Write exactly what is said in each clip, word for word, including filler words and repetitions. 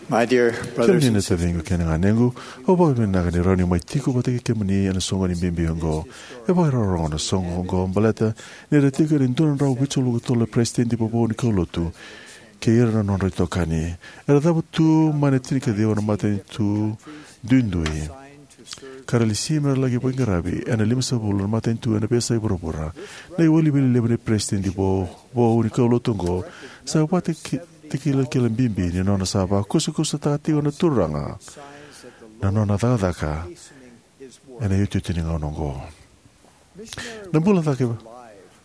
My dear brothers Kemuni and na sisters, taciqu kei na ganequ, au vakavinavinaka ni rawa niu mai tiko vata kei kemuni ena soqoni bibi oqo. E vakairogorogo na soqo oqo baleta ni ra tiko ena dua na drau vitusagavulu ka tolu na peresitedi vovou ni kaulotu kei ira na nodra itokani. Era cavutu mai na tinikaciwa na matanitu duidui ka ra lesi me ra laki veiqaravi ena limasagavulu na matanitu ena veiyasai vuravura. Na iwiliwili levu ni peresitedi vovou ni kaulotu oqo sa vakatakilakila bibi ni nona sa vakusakusataka tiko na Turaga na nona cakacaka ena iotioti ni gauna oqo. Na bula cake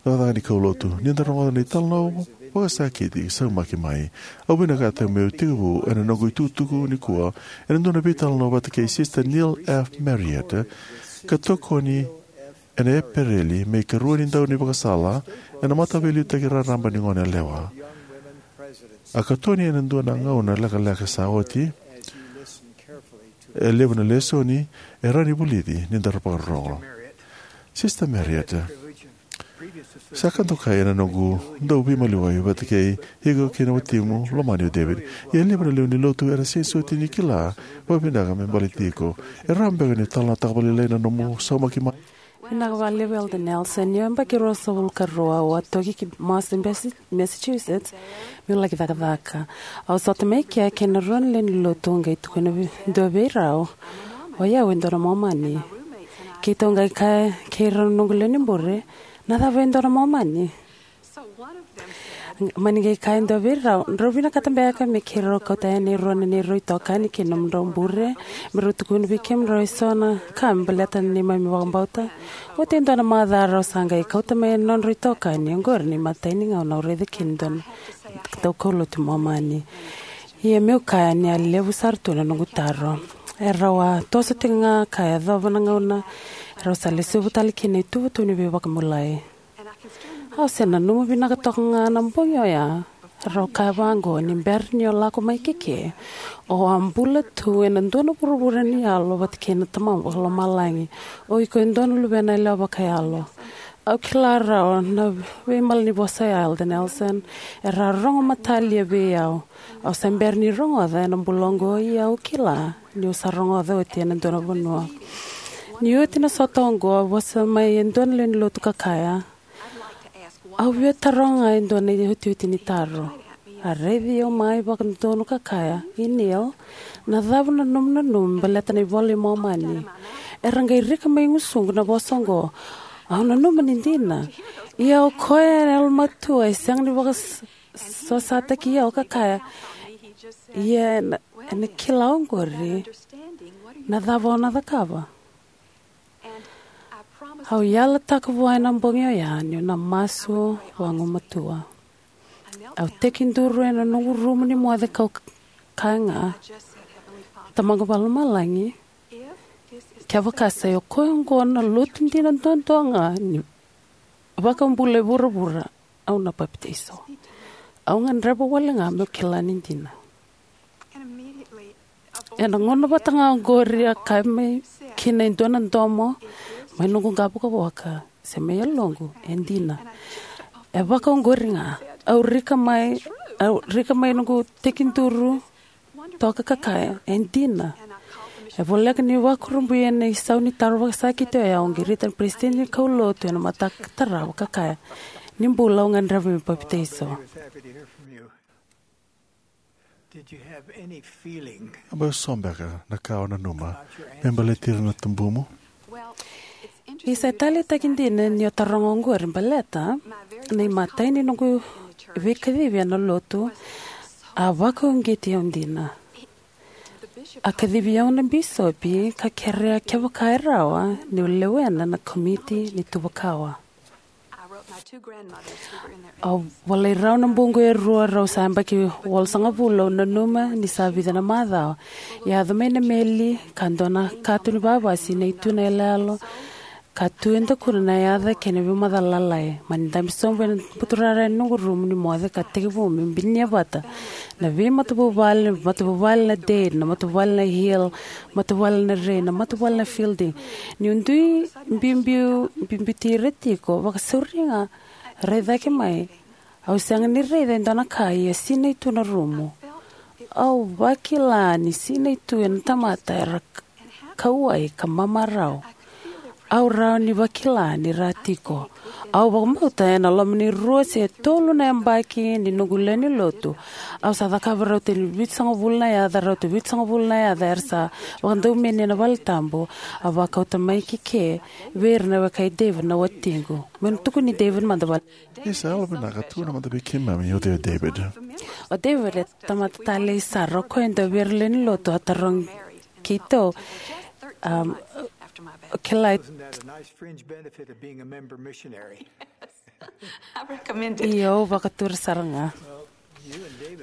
cakacaka ni kaulotu, ni da rogoca na italanoa vakasakiti saumaki mai. Au vinakata meu tekivu ena noqu itukutuku nikua ena dua na veitalanoa vata kei Sister Neil F. Marriott, ka tokoni ena Epereli me ikarua ni dau ni vakasala ena mataveiliutaki raraba ni gone yalewa. A katoni ena dua na gauna lekaleka sa oti, e levu na lesoni e rawa ni vulici ni da vakarorogo. Sister Marriott, sa ka dokai ena noqu dau veimaliwai vata kei iko kei na watimu lomani o David. Ia e levu na lewe ni lotu era sega soti ni kila vakavinaka me baleti iko. E rawa beka ni talanoataka vakalailai na nomu saumaki mai? Vinaka vakalevu, Elder Nelson. Niu yabaki ruasagavulu ka rua, au a toki ki Boston, Massachusetts, meu laki cakacaka. Au sota mai kea kei na rua na lewe ni lotu, qai tukuna vei, dua vei rau, "O yau e dua na Momani." Keitou qai kaya kei rau na noqu lewe ni bure, "Na cava e dua na Momani?" Mani qai kaya e dua vei rau, "Drau vinakata beka me keirau kauta yani e rua na neirau itokani kei na nomudrau bure, me rau tukuna vei kemudrau eso na ka me baleta na neimami vakabauta?" Oti e dua na macawa rau sa qai kauta mai na nodrau itokani. Oqori na imatai ni gauna au raica kina e dua na daukaulotu Momani. Ia meu kaya ni a levu sara tu na noqu taro. Erau a toso tiko ga ka yacova na gauna erau sa lesuva tale kina na ituvatuva ni veivakabulai. Au se nanuma vinaka toka ga na bogi oya. Rau kaya vaqo, "Ni bera ni o lako mai keke, o a bula tu ena dua na vuravura ni yalo vata kei na Tamamu Vakalomalagi. O iko e dua na luvena yalewa vakayalo." Au kila rawa na veimalanivosa oya, Elder Nelson, era a rogo matalia vei au. Au se bera ni rogoca ena bula oqo, ia au kila niu sa rogoca oti ena dua na vanua. Ni oti na sota oqo, a vosa mai e dua na lewe ni lotu ka kaya, "Au via taroga e dua na iotioti ni taro." A raici au mai vakadodonu ka kaya, "I Neil, na cava na nomu nanuma baleta na iVola i Momani?" Era qai rika mai gusuqu na vosa oqo. Au nanuma ni dina. Ia o koya e yalomatua e sega ni vakasosataki au ka kaya, "Ia ena, ena kila oqori na cava o na cakava." Au yalataka vua ena bogi oya niu na masu vagumatua. Au tekiduru ena noqu rumu ni moce kau kaya ga, "Tamaqu Vakalomalagi, kevaka sa i koya oqo na lotu dina duadua ga ni vakabula e vuravura, au na papitaiso. Au gadreva wale ga meu kila ni dina." Ena gauna vata ga oqori a kaya mai kina e dua na domo mai noqu qavokavoka se mai yaloqu, "E dina." E vaka oqori ga, au rika mai, au rika mai noqu tekiduru toka ka kaya, "E dina." E voleka niu vakurabui ena isau ni taro vakasakiti oya, au qirita na peresitedi ni kaulotu ena mataka tarava ka kaya, "Ni bula, au gadreva meu papitaiso." Did you have any feeling A bau so beka na ka o nanuma about your me baleti ira na tubumu? Well, it's interesting. Isa e taleitaki dina ni o taroga oqori baleta na imatai ni noqu veikacivi ena lotu a vakauqeti au dina. A kacivi au na bisopi ka kerea kevaka e rawa niu lewena na komiti ni tuvakawa. Au volai rau na buqu e rua, rau sa yabaki walusagavulu. Au nanuma ni sa vica na macawa. Yaco mai na meli ka dua na katu ni vavasi, na ituna yaloyalo, ka tu e dakuna na yaca kei na veimacala lalai. Mani dabe sobu ena buturara ena noqu rumu ni moce ka tekivu meu binia vata na veimatavuvale, na matavuvale na Dade, na matavuvale na Hill, matavuvale na Ray, na matavuvale na Fielding. Niu dui biubiu, biubiuti ira tiko, vakasauri ga rai cake mai. Au sega ni raica e dua na ka, ia sinai tu na rumu. Au vakila ni sinai tu ena tamata era k-, kauwai ka mamarau. Au rawa ni vakila ni ra tiko. Au vakabauta ena loma ni rua se tolu na yabaki ni noqu lewe ni lotu, au sa cakava rauta ni vitusagavulu na yaca, rauta vitusagavulu na yaca era sa vakadaumeni ena vale tabu. Au vakauta mai ki ke vei ira na weka i David, na watiqu. Meu na tukuni David mada vale. Isa, yalovinaka, tukuna mada vei keimami o cei o David. O David e tamata talei sara, o koya e dua vei ira lewe ni lotu a tarogi keitou. Um, o kila. Isn't that a nice fringe benefit of being a member missionary? I recommend it. Io, au vakatura sara ga.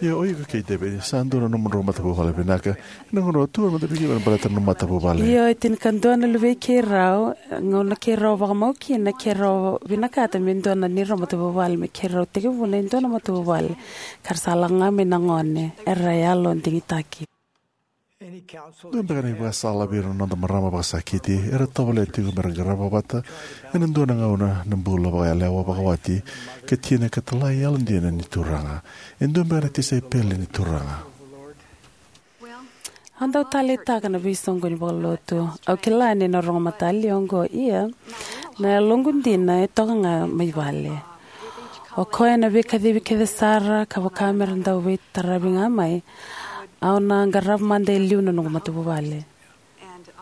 Io, o iko kei David sa dua na nomudrau matavuvale vinaka. Ena gauna o tu mada vei keimami baleta na nomu matavuvale. Io, e tinikadua na luvei keirau, gauna keirau vakamau kina, keirau vinakata me dua na neirau matavuvale, me keirau tekivuna e dua na matavuvale. Ka ra sa lako ga mai na gone, era yalo digitaki. Dua beka na ivakasala vei ira na noda marama vakasakiti era tovolea tiko me ra qarava vata ena dua na gauna na bula vakayalewa vakawati, ka tina ka talai yalodina ni Turaga? E dua beka na tisaipeli ni Turaga? Au dau taleitaka na veisoqoni vakalotu. Au kila ni na rogo matali oqo, ia na yaloqu dina e toka ga mai vale. O koya na veikacivi kece sara, ka vaka me ra dau veitaravi ga mai, au na qarava mada e liu na noqu matavuvale.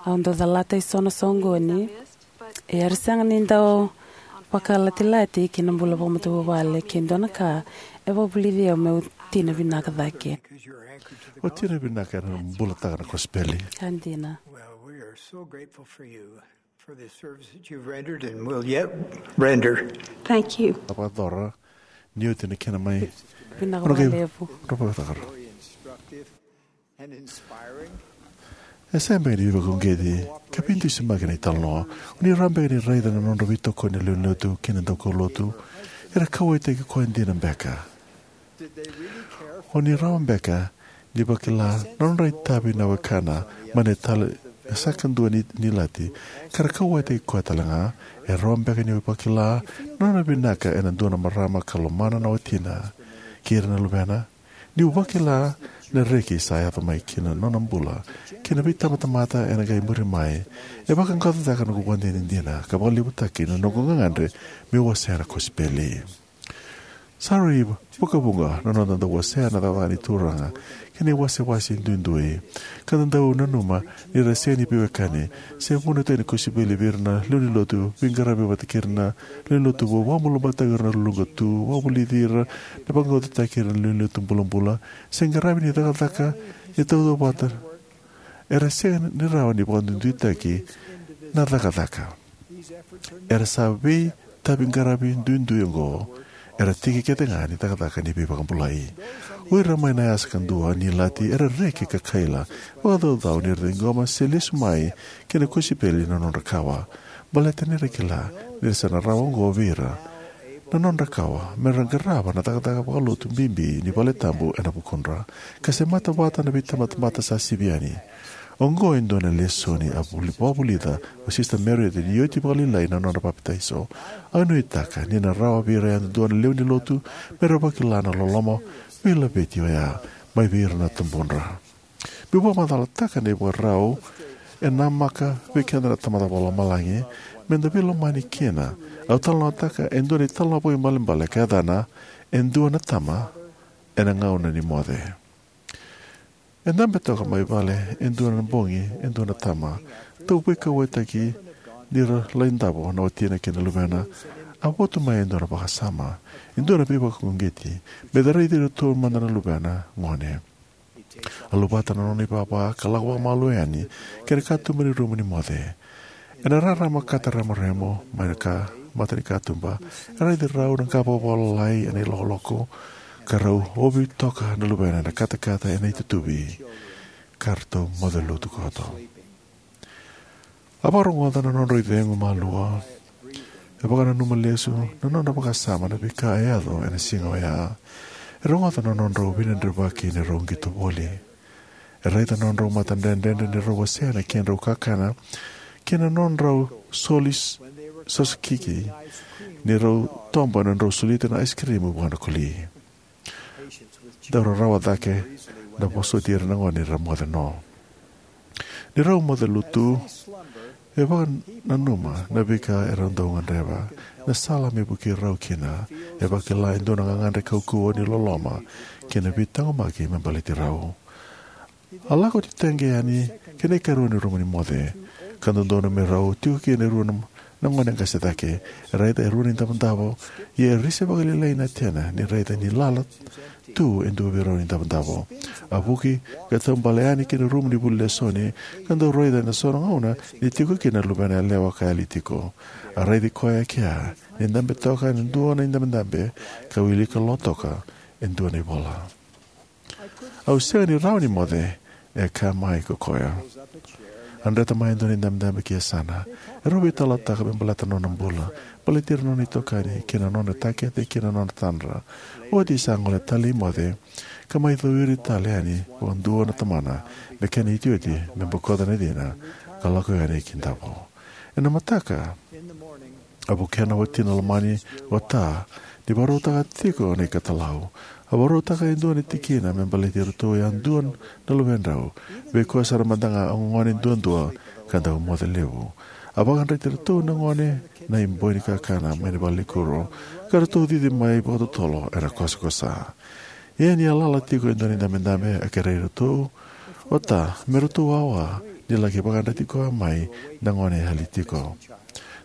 Au dau calata eso na soqoni, ia era sega ni dau vakalatilati ki na bula vakamatavuvale, ke dua na ka e vakavulici au meu tina vinaka cake. O tina vinaka ena bulataka na kosipeli. Ka dina. Well, we are so grateful for you, for the service that you've rendered and will yet render. Thank you. A vakayacora ni oti na kena mai. Vinaka vakalevu. Vinaka vakalevu. Very instructive and inspiring. E sega beka ni veivakauqeti ka veidusimaki na italanoa. O ni rawa beka ni raica na nodra veitokoni na lewe ni lotu kei na daukaulotu era kauwaitaki koya dina beka? O ni rawa beka ni vakila na nodra itavi na wekana mai na tala e sa kadua ni, ni lati, ka ra kauwaitaki koya tale ga? E rawa beka ni vakila na nona vinaka ena dua na marama ka lomana na watina kei ira na luvena? Niu vakila na reki sa yaco mai ki na nona bula kei na veitabatamata ena qai muri mai, e vakaqaqacotaka noqu ivakadinadina ka vakalevutaki na noqu gagadre meu wasea na kosipeli. Sa rui vakavuqa na noda dau wasea na cakacaka ni Turaga kei na iwasewase duidui, ka da dau nanuma ni ra sega ni veiwekani se vunitaki na kosipeli vei ira na lewe ni lotu, veiqaravi vata kei ira na lewe ni lotu vou, vakabulabulataki ira na luluqa tu, vakavulici ira, na vakaqaqacotaki ira na lewe ni lotu bulabula, se qaravi ni cakacaka ni tautauvata. Era sega ni rawa ni vakaduiduitaki na cakacaka. Era sa veitaviqaravi duidui oqo era tiki kece ga ni cakacaka ni veivakabulai. O ira mai na yasa kadua ni lati era reki ka kaila vakacaucau ni ra ciqoma se lesu mai ki na kosipeli na nodra kawa, baleta ni ra kila ni ra sa na rawa oqo vei ira na nodra kawa me ra qarava na cakacaka vakalotu bibi ni vale tabu ena vukudra, ka semata vata na veitabatamata sa sivi yani. Oqo e dua na lesoni a vuli, vakavulica o Sista Marriott ni oti vakalailai na nona papitaiso. Au nuitaka ni na rawa vei ira yadudua na lewe ni lotu me ra vakila na loloma veilaveti oya mai vei ira na tubudra. Meu vakamacalataka na ivakarau e namaka vei keda na Tamada Vakalomalagi me da veilomani kina. Au talanoataka e dua na italanoa vakaibalebale ka yacana E Dua na Tama ena Gauna ni Moce. E dabe toka mai vale e dua na bogi e dua na tama, dau veikauwaitaki ni ra lai davo na watina kei na luvena. A votu mai e dua na vakasama, e dua na veivakauqeti, me da raici iratou mada na luvena gone. A luvata na nona ivava ka lako vakamalua yani ki na katuba ni rumu ni moce. Ena rarama kata remoremo mai na ka, mata ni katuba, e raici rau na qa vakavavalagi ena ilokoloko, ka rau ovi toka na luvena ena katakata ena itutuvi, ka ratou moce lotu koto. A vakarogoca na nodrau icegu malua. E vakananuma lesu na nodra vakasama na veika e yaco ena siga oya. E rogoca na nodrau veidredrevaki ni rau qito voli. E raica na nodrau matadredredre ni rau wasea na kedrau kakana, kei na nodrau soli s-, sosokiki ni rau toba na nodrau solita na aisikirimu vua na koli. Dau rarawa cake na vosoti ira na gone era moce no. Ni rau moce lotu, e vakananuma na veika erau dau gadreva, na sala me vukei rau kina. E vakila e dua na gagadre kaukauwa ni loloma kei na veitaqomaki me baleti rau. A lako titaqe yani ki na ikarua ni rumu ni moce, ka dodonu me rau tiko kina e rua na, na gone qase cake. E raica e rua na idavodavo, ia e risi vakalailai na tena ni raica ni lala tu e dua vei rau na idavodavo. A vuki ka taubale yani ki na rumu ni vuli lesoni, ka dau raica ena so na gauna ni tiko kina na luvena yalewa ka yali tiko. A raici koya e kea ni dabe toka ena dua na idabedabe, ka wilika lo toka e dua na ivola. "Au sega ni rawa ni moce," e kaya mai ko koya. A dreta mai e dua na idabedabe ki yasana. E rau veitalanoataka me baleta na nona bula, baleti ira na nona itokani kei na nona takete kei na nona tadra. Oti sa gole tale i moce, ka mai cowiri tale yani vakadua na tamana me kena iotioti me bokoca na cina ka lako yani ki davo. Ena mataka, a vukea na watina lomani, o Ta, ni vakarautaka tiko na ikatalau. A vakarautaka e dua na tikina me baleti iratou yadua na luvedrau, vei koya sara mada ga a gone duadua ka dau moce levu. A vakadreti iratou na gone na iboi ni kakana mai na valenikuro, ka ratou cici mai vakatotolo ena kosakosa. Ia ni a lala tiko e dua na idabedabe, a kerei iratou o Ta me ratou wawa ni laki vakadreti koya mai na gone e yali tiko.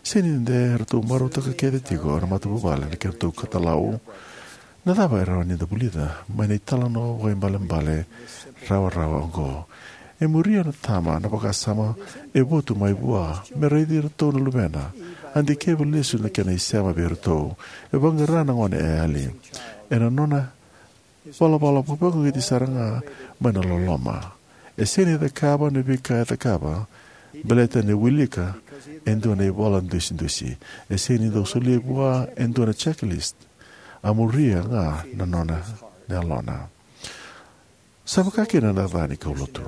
Sega ni dede, ratou marautaka kece tiko na matavuvale na kedratou ikatalau. Na cava e rawa ni da vulica mai na italanoa vakaibalebale rawarawa oqo? E muria na tama na vakasama e votu mai vua me raici iratou na luvena. A dikeva lesu na kena isema vei iratou. E vaqara na gone e yali ena nona valavala vakavakauqeti sara ga mai na loloma. E sega ni cakava na veika e cakava baleta ni wilika e dua na ivola dusidusi. E sega ni dau solia vua e dua na checklist. A muria ga na nona, na yalona. Sa vaka kina na ca ni kaulotu.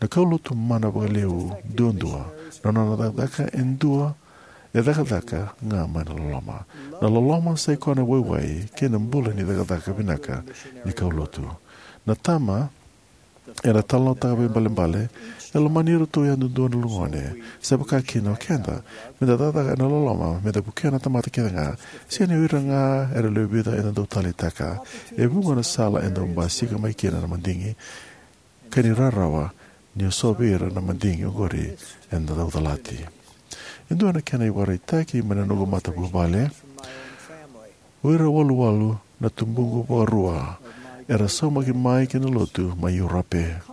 Na kaulotu mana vakalevu duadua, na nona cakacaka e dua, e cakacaka ga mai na loloma. Na loloma sa ikoya na waiwai kei na bula ni cakacaka vinaka ni kaulotu. Na tama ena talanoataka vakaibalebale, e lomani iratou yadudua na luvena. Sa vaka kina o keda, meda cakacaka ena loloma, meda vukea na tamata kece ga, sega ni o ira ga era lewe vica eda dau taleitaka. E vuqa na sala e dau basika mai kina na madigi, ka ni rarawa ni o so vei ira na madigi oqori eda dau calati. E dua na kena ivakaraitaki mai na noqu matavuvale. O ira waluwalu na tubuqu vakarua era saumaki mai ki na lotu mai Europe.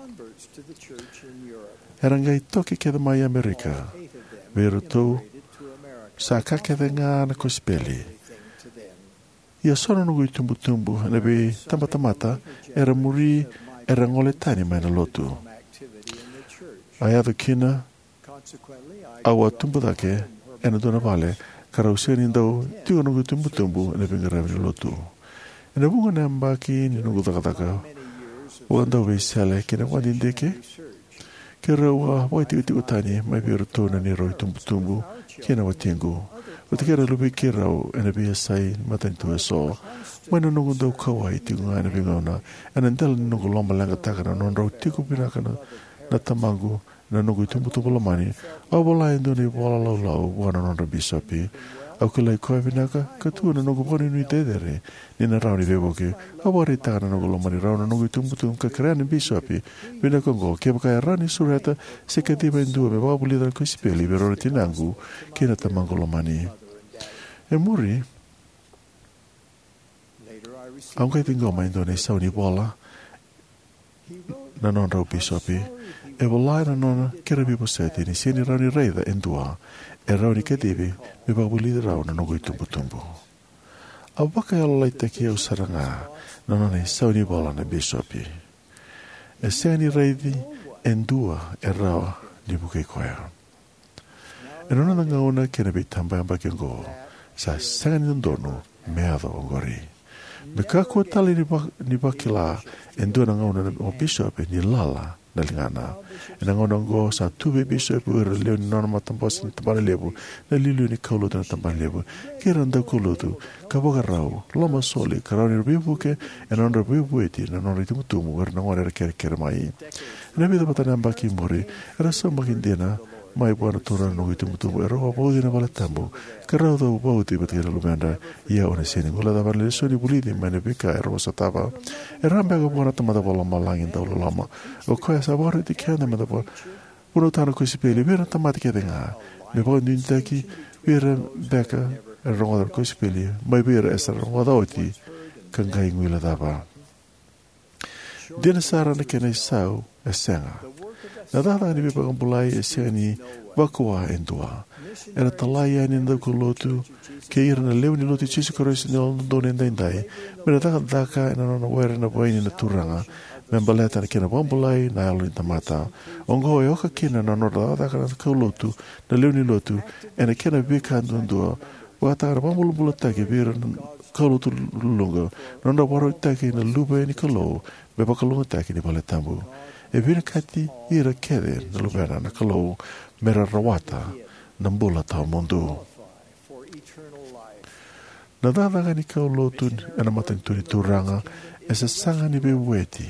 Era qai toki kece mai Amerika. Vei iratou, sa ka kece ga na kosipeli. Ia so na noqu itubutubu ena veitabatamata era muri, era gole tani mai na lotu. A yaco kina, au a tubu cake ena dua na vale, ka rau sega ni dau tiko na noqu itubutubu ena veiqaravi ni lotu. Ena vuqa na yabaki ni noqu cakacaka vakadauveisele kei na vakadidike, keirau a vakaitikotiko tani mai vei iratou na neirau itubutubu kei na watiqu, vata kei ira na luvei keirau ena veiyasai matanitu eso. Mai na noqu dau kauwai tiko ga ena veigauna, ena dela ni noqu lomaleqataka na nodrau tiko vinaka na, na tamaqu, na noqu itubutubu lomani, au vola e dua na ivola laulau vua na nodra bisopi. Au kilai koya vinaka ka tu na noqu vakanuinui cecere ni na rawa ni veivuke. Au vakaraitaka na noqu lomani rau na noqu itubutubu ka kerea na bisopi vinaka oqo kevaka e rawa ni sureta se kaciva e dua me vakavulica na kosipeli vei rau na tinaqu kei na tamaqu lomani. E muri, au qai ciqoma e dua na isau ni vola na nodrau bisopi. E vola ena nona kere veivosoti ni sega ni rawa ni raica e dua e rawa ni kacivi me vakavulici rau na noqu itubutubu. A vakayalolailaitaki au sara ga na nona isau ni vola na bisopi. E sega ni raici e dua e rawa ni vukei koya. Ena noda gauna kei na veitabayabaki oqo, sa sega ni dodonu me yaco oqori. Me kakua tale ni, va, ni vakila e dua na gauna na bisopi ni lala na ligana. Ena gauna oqo sa tu vei bisopi o ira na lewe ni nona matabose ni tabana levu, na iliuliu ni kaulotu ena tabana levu, kei ira na daukaulotu, ka vakarau, lomasoli, ka rawa ni ra veivuke ena nodra veivueti na nodra itubutubu o ira na gone era kerekere mai. Ena vica vata na yabaki i muri, era saumaki dina mai vua na Turaga na noqu itubutubu, era vakavauci ena valetabu, ka rau cau vauci vata kei na luvedra. Ia au na sega ni guilecava na lesoni vulici mai na veika era vosatava. Era a beka vua na Tamada Vakalomalagi dauloloma. O koya sa vakaroti keda meda va- vunautaka na kosipeli vei ira na tamata kece ga, me vakaduiduitaki vei ira beka era rogoca na kosipeli mai vei ira era sa rogoca oti ka qai guilecava. Dina sara na kena isau, e sega. Na cakacaka ni veivakabulai e sega ni vakua e dua. Era talai yani na daukaulotu kei ira na lewe ni Lotu i Jisu Karisito ni Yalododonu Edaidai me ra cakacaka ena nona were na vaini na Turaga, me baleta na kena vakabulai na yalo ni tamata. Oqo e oka kina na nodra cakacaka na kaulotu, na lewe ni lotu, ena kena veika duadua, vakataka na vakabulabulataki vei ira na kaulotu luluqa, na nodra vakarautaki na luve ni Kalou me vakalougatataki ni valetabu. E vinakati ira kece na luvena na Kalou me ra rawata na bula tawamudu. Na cakacaka ni kaulotu ena matanitu ni Turaga e sasaga ni veivueti.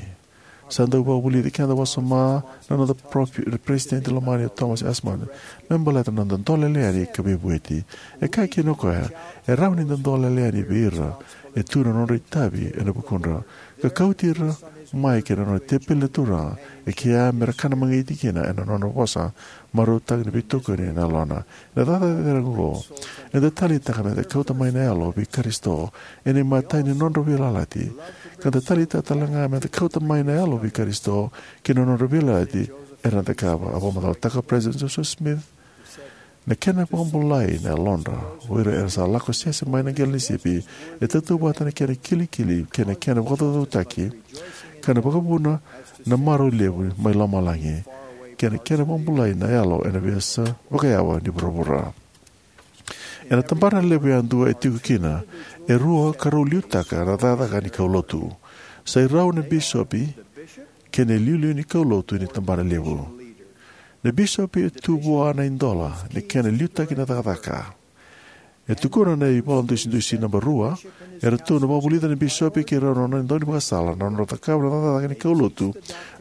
Sa dau vakavulici keda wasoma na noda profi- na Peresitedi lomani o Thomas S. Monson me baleta na noda dolele yani ka veivueti. E kaya kina o koya, e rawa ni da dolele yani vei ira e tu na nodra itavi ena vukudra, ka kauti ira mai ki na nona tepeli na Turaga, e kea me ra kana magiti kina ena nona vosa, marautaka na veitokoni ena yalona. Ena cakacaka cecere oqo, eda taleitaka meda kauta mai na yalo vei Karisito ena imatai ni nodra veiyalayalati, ka da taleitaka tale ga meda kauta mai na yalo vei Karisito ki na nodra veiyalayalati era na cakava. A vakamacalataka o President Joseph Smith, na kena vakabulai na yalodra o ira era sa lako sese mai na qele ni sipi e tautauvata na kena kilikili kei na kena vakacaucautaki, ka na vakavuna na marau levu mai lomalagi, kei na kena vakabulai na yalo ena veiyasa vakayawa ni vuravura. Ena tabana levu yadua e tiko kina e rua ka rau liutaka na cakacaka ni kaulotu. Sai rau na bisopi kei na iliuliu ni kaulotu ni tabana levu. Na bisopi e tu vua na idola ni kena liutaki na cakacaka. E tukuna na ivola dusidusi naba rua, eratou na vakavulica na bisopi kei rau na nona daunivakasala na nodra cakava na cakacaka ni kaulotu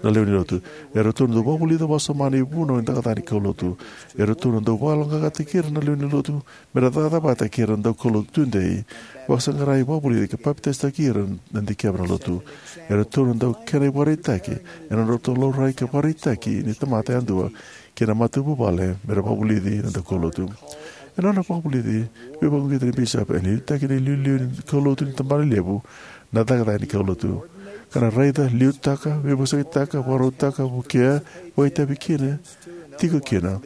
na lewe ni lotu. Eratou na dau vakavulica wasoma na ivunau ni cakacaka ni kaulotu. Eratou na dau vakayaloqaqataki ira na lewe ni lotu me ra cakacaka vata kei ira na daukaulotu tudei, vakasaqarai, vakavulici ka papitaisotaki ira na dikeva na lotu. Eratou na dau kena ivakaraitaki ena nodratou laurai ka vakaraitaki ni tamata yadua kei na matavuvale me ra vakavulici na daukaulotu. Ena nona vakavulici veivakauqeti na bisopi ena liutaki na iliuliu ni kaulotu ni tabana levu, na cakacaka ni kaulotu, ka na raica, liutaka, veivosakitaka, vakarautaka, vukea, vakaitavi kina, tiko kina,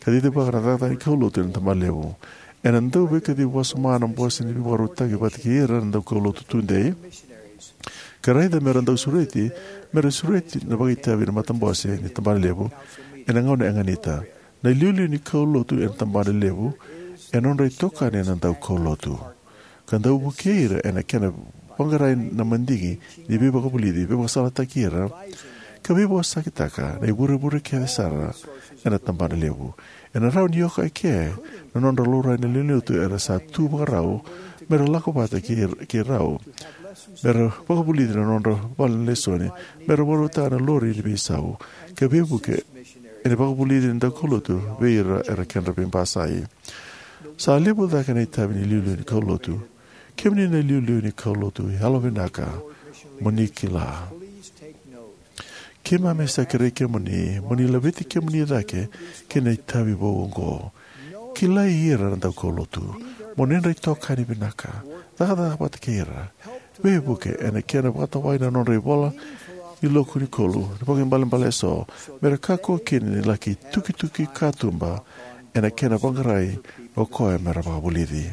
ka cicivaka na cakacaka ni kaulotu ena tabana levu. Ena dau veikacivi wasoma na bose ni veivakarautaki vata kei ira na daukaulotu tudei, ka raica me ra dau sureti, me ra sureti na vakaitavi na matabose ni tabana levu ena gauna e ganita. Na iliuliu ni kaulotu ena tabana levu e nodra itokani na daukaulotu, ka dau vukei ira ena kena vaqarai na madigi ni veivakavulici, veivakasalataki ira, ka veivosakitaka na ivurevure kece sara ena tabana levu. Ena rawa ni oka eke na nodra laurai na lewe ni lotu era sa tu vakarau me ra lako vata kei, kei rau, me ra vakavulici na nodra vale na lesoni, me ra vakarautaka na lori ni veisau, ka veivuke ena vakavulici ni daukaulotu vei ira era kedra veibasai. Sa levu cake na itavi ni iliuliu ni kaulotu. Kemuni na iliuliu ni kaulotu, yalovinaka mo ni kila. Keimami sa kerei kemuni mo ni laveti kemuni cake kei na itavi vou oqo. Kilai ira na daukaulotu, mo ni nodra itokani vinaka. Cakacaka vata kei ira. Veivuke ena kena vakatawai na nodra ivola ni loku ni kolu, na vakaibalebale eso, me ra kakua kina ni laki tukituki katuba ena kena vaqarai o koya me ra vakavulici.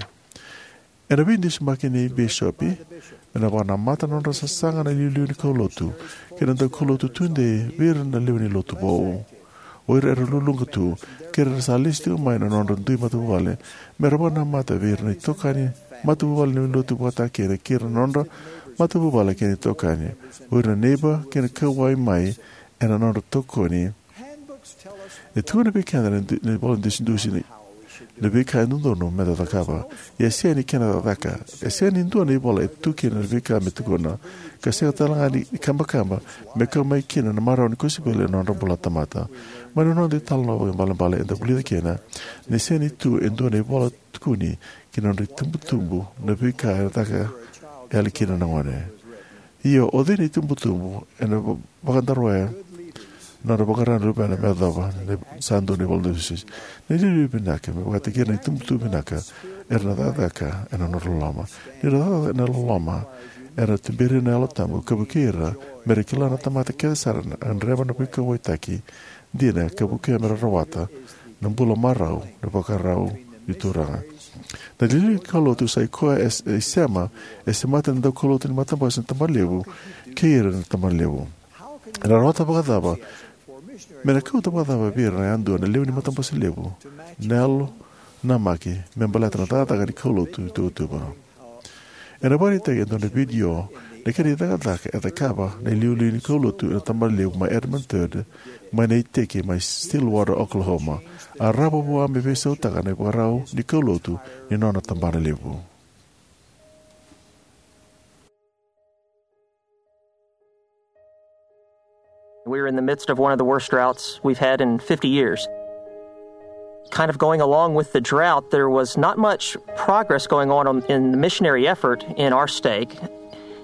Ena veidusimaki ni bisopi, me na vakanamata na nodra sasaga na iliuliu ni kaulotu kei na daukaulotu tudei vei ira na lewe ni lotu vou, o ira era luluqa tu, kei ira era sa lesu tiko mai na nodra dui matavuvale, me ra vakanamata vei ira na itokani matavuvale ni lotu vata kei na, kei ira na nodra matavuvale kei na itokani, o ira na neiba kei na kauwai mai ena nodra tokoni. E tukuna vei keda na du-, na ivola dusidusi ni, na veika e dodonu meda cakava. Ia e sega ni kena cakacaka. E sega ni dua na ivola e tu kina na veika me tukuna. Ka sega tale ga ni kabakaba me kau mai kina na marau ni kosipeli ena nodra bula na tamata. Mai na noda italanoa vakaibalebale eda vulica kina ni sega ni tu e dua na ivola tukuni ki na nodra itubutubu na veika e caka yali kina na gone. Io, o cei na itubutubu ena va-, vakadaroya na nodra vakarau na luvena me yacova na sa dua na ivola dusidusi? Na iliuliu vinaka me vakataki ira na itubutubu vinaka era na cakacaka ena nodra loloma. Ni ra cakacaka ena loloma, era na tuberi ira na Yalo Tabu ka vukei ira me ra kila na tamata kece sara na gadreva na veikauwaitaki dina ka vukea me ra rawata na bula marau na vakarau ni Turaga. Na liuliu ni kaulotu sa i koya e, e sema, e semata na daukaulotu ni matabose na tabana levu kei ira na tabana levu. Era rawata vakacava, me na kauta vakacava vei ira na yadua na lewe ni matabose levu na yalo namaki me baleta na cakacaka ni kaulotu i tuvatuva. Ena vakaraitaki e dua na vidio na kena icakacaka e cakava na iliuliu ni kaulotu ena tabana levu mai Edmond Third, mai na iteki mai Stillwater, Oklahoma. A rawa vua me veisautaka na ivakarau ni kaulotu ni nona tabana levu. We were in the midst of one of the worst droughts we've had in fifty years. Kind of going along with the drought, there was not much progress going on in the missionary effort in our stake.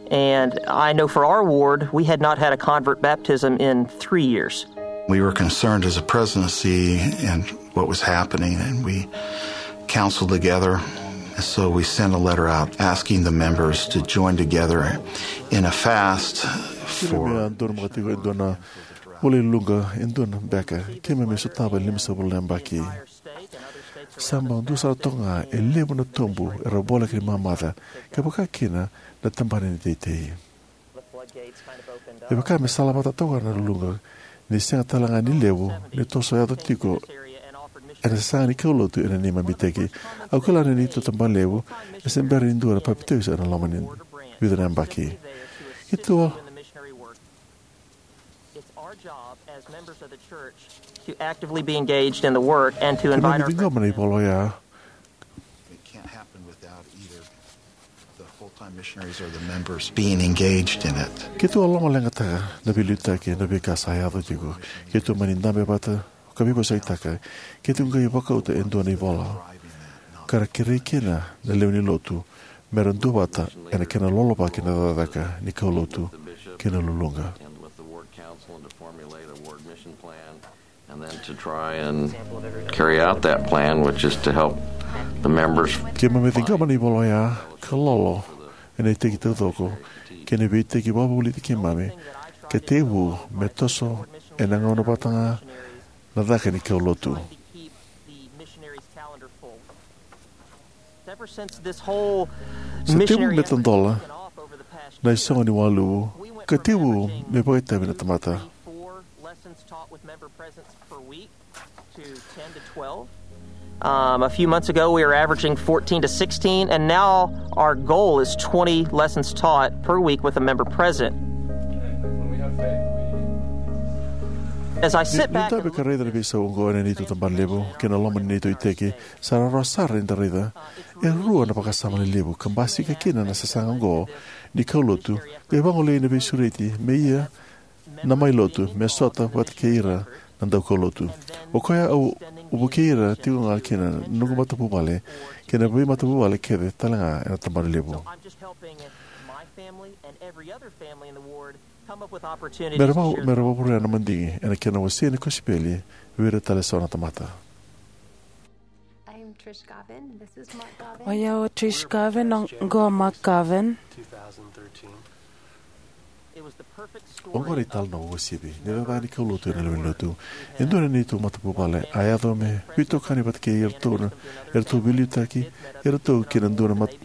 And I know for our ward, we had not had a convert baptism in three years. We were concerned as a presidency and what was happening, and we counseled together. So we sent a letter out asking the members to join together in a fast for. Kemami a donumaka tiko e dua na vula i Luga e dua na beka, kemami sotava e limasagavulu na yabaki. Sa bau dua sara toka ga e levu na tubu era voleka ni mamaca, ka vaka kina na tabana ni teitei. E vaka me salavata toka na Luga, ni sega tale ga ni levu ni toso yaco tiko ena sasaga ni kaulotu ena neimami iteki. Au kila ni neitou tabana levu e se bera ni dua na papitaiso ena loma ni vica na yabaki. Keitou It's our job as members of the church to actively be engaged in the work and to invite our friends. Kemami ciqoma na ivola oya. It can't happen without either the full-time missionaries or the members being engaged in it. Keitou a lomaleqataka na veiliutaki ena veika sa yaco tiko. Keitou mani dabe vata ka veivosakitaka. Keitou qai vakauta e dua na ivola ka ra kerei kina na lewe ni lotu me ra duavata ena kena lolovaki na cakacaka ni kaulotu kei na luluqa. And then to try and carry out that plan, which is to help the members. Keimami ciqoma na ivola oya ka lolo ena iteki taucoko kei na veiiteki vakavulici keimami ka tekivu me toso ena gauna vata ga na caka ni kaulotu. Sa tekivu me tadola na isogo ni waluvu ka tekivu me vakaitavi na tamata. Um, a few months ago, we were averaging fourteen to sixteen, and now our goal is twenty lessons taught per week with a member present. As I sit back and look at this, ka raica na veisau oqo ena neitou tabana levu kei na loma ni neitou iteki, sa rawarawa sara ni da raica e rua na vakasama lelevu ka basika kina na sasaga oqo ni kaulotu, qai vagolei na veisureti me ia na mai lotu me sota vata kei ira na daukaulotu. O koya au vukei ira tiko ga kina na noqu matavuvale kei na veimatavuvale kece tale ga ena tabana levu. Me ra vakavurea na madigi ena kena wasei na kosipeli vei ira tale eso na tamata. O yau o Trish Garvin, oqo o Mark Garvin. Oqo na italanoa uasivi ni cakacaka ni kaulotu ena lewe ni lotu. E dua na neitou matavuvale a yaco me veitokani vata kei iratou na, eratou veiliutaki iratou kei na dua na mat-,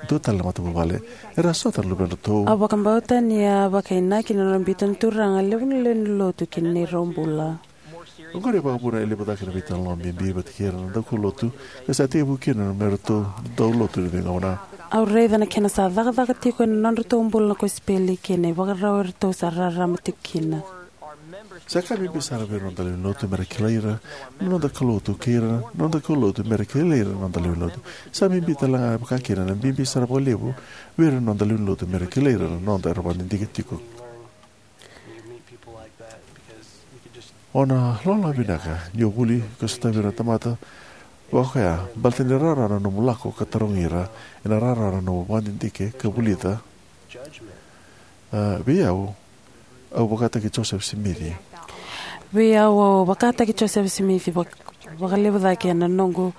dua tale na matavuvale. Era sota na luvedratou. Au vakabauta ni a vakainaki na nona biuta na Turaga e levu na lewe ni lotu ki na neirau bula. Oqori e vakavuna e levu cake na veitalanoa bibi vata kei ira na daukaulotu ka sa tekivu kina me ratou dau lotu ena veigauna. Au raica na kena sa cakacaka tiko ena nodratou bula na kosipeli kei na ivakarau eratou sa rarama tiko kina. Sa ka bibi sara vei ira na noda lewenilotu mera kilai ira na noda kaulotu kei ira na noda kaulotu mera kilai ira na noda lewenilotu. Sa bibi talega vakakina na bibi sara vakalevu vei ira na noda lewenilotu mera kilai ira na noda era vakadidike tiko. O na loloma vinaka ni o vuli ka sotavi ira na tamata vakaoya baleta ni rawarawa na nomu lako ka tarogi ira, ena rawarawa na nomu vakadidike ka vulica. A, vei au, au vakataki Joseph Smith. Vei au, au vakataki Joseph Smith vak-, vakalevu cake ena noqu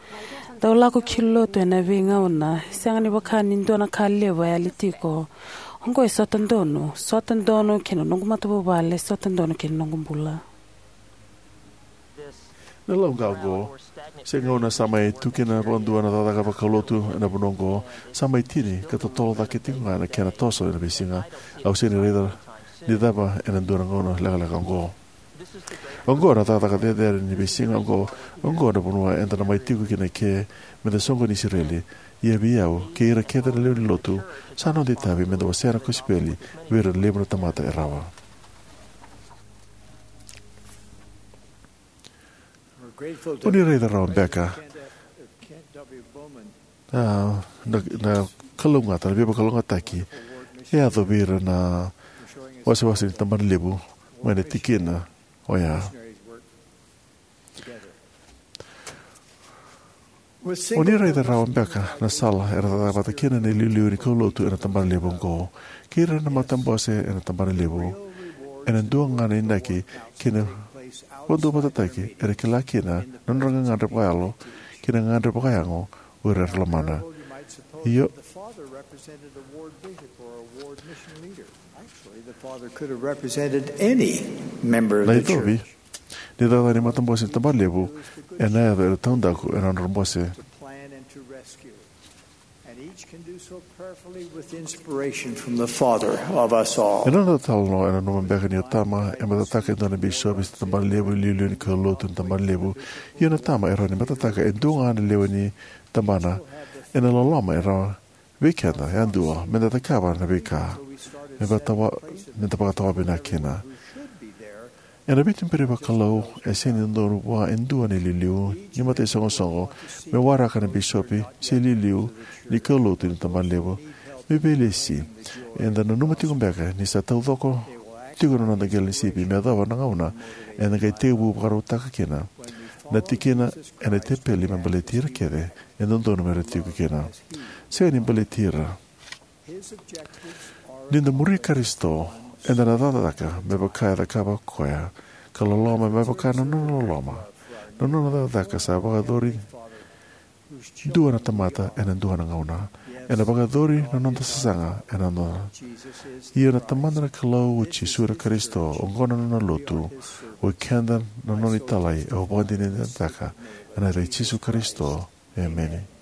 dau lako ki lotu ena veigauna. Sega ni vaka ni dua na ka levu e yali tiko. Oqo e sota donu, sota donu kei na noqu matavuvale, sota donu kei na noqu bula. Na lauqa oqo, se gauna sa mai tu kina vakadua na cakacaka vakalotu ena vanua oqo, sa mai tini ka totolo cake tiko ga na kena toso ena veisiga. Au sega ni raica ni cava ena dua na gauna lekaleka oqo. Oqo na cakacaka cecere ni veisiga oqo, oqo na vanua eda na mai tiko kina ke meda soqoni Isireli. Ia vei au, kei ira kece na lewe ni lotu, sa noda itavi meda wasea na kosipeli vei ira na levu na tamata e rawa. O ni raica rawa beka, a, na, na kalougata, na veivakalougatataki e yaco vei ira na wasewase ni tabana levu mai na tikina oya. O ni raica rawa beka na sala era cakacaka vata kina na iliuliu ni kaulotu ena tabana levu oqo kei ira na matabose ena tabana levu. Ena dua ga na inaki kei na vakaduavatataki era kila kina na nodra gagadre vakayalo kei na gagadre vakayago o ira era lomana. Io, na icovi ni cakacaka ni matabose ni tabana levu ena yaco era taudaku ena nodra bose. Ena noda talanoa ena nanuma beka ni o tama e matataka e dua na bisopi se tabana levu, iliuliu ni kaulotu ena tabana levu. Ia na tama e rawa ni matataka e dua ga na lewe ni tabana ena loloma e rawa vei keda yadua meda cakava na veika me vakatawa, meda vakatawa vinaka kina. Ena veituberi vakalou e sega ni dodonu vua e dua na iliuliu ni mataisoqosoqo me waraka na bisopi se iliuliu ni kaulotu ni tabana levu me veilesi. Eda nanuma tiko beka ni sa taucoko tiko na noda qele ni sipi me yacova na gauna eda qai tekivu vakarautaka kina na tikina ena tepeli me baleti ira kece e dodonu mera tiko kina. Sega ni baleti ira. Ni da muri Karisito, eda na cakacaka me vaka e cakava o koya, ka loloma me vaka na nona loloma. Na nona cakacaka sa vakayacori dua na tamata ena dua na gauna. Ena vakayacori na noda sasaga ena noda. Ia na Tamada na Kalou, o Jisu na Karisito, oqo na nona lotu, o keda na nona italai, au vakadinadinataka ena yaca i Jisu Karisito. Emeni.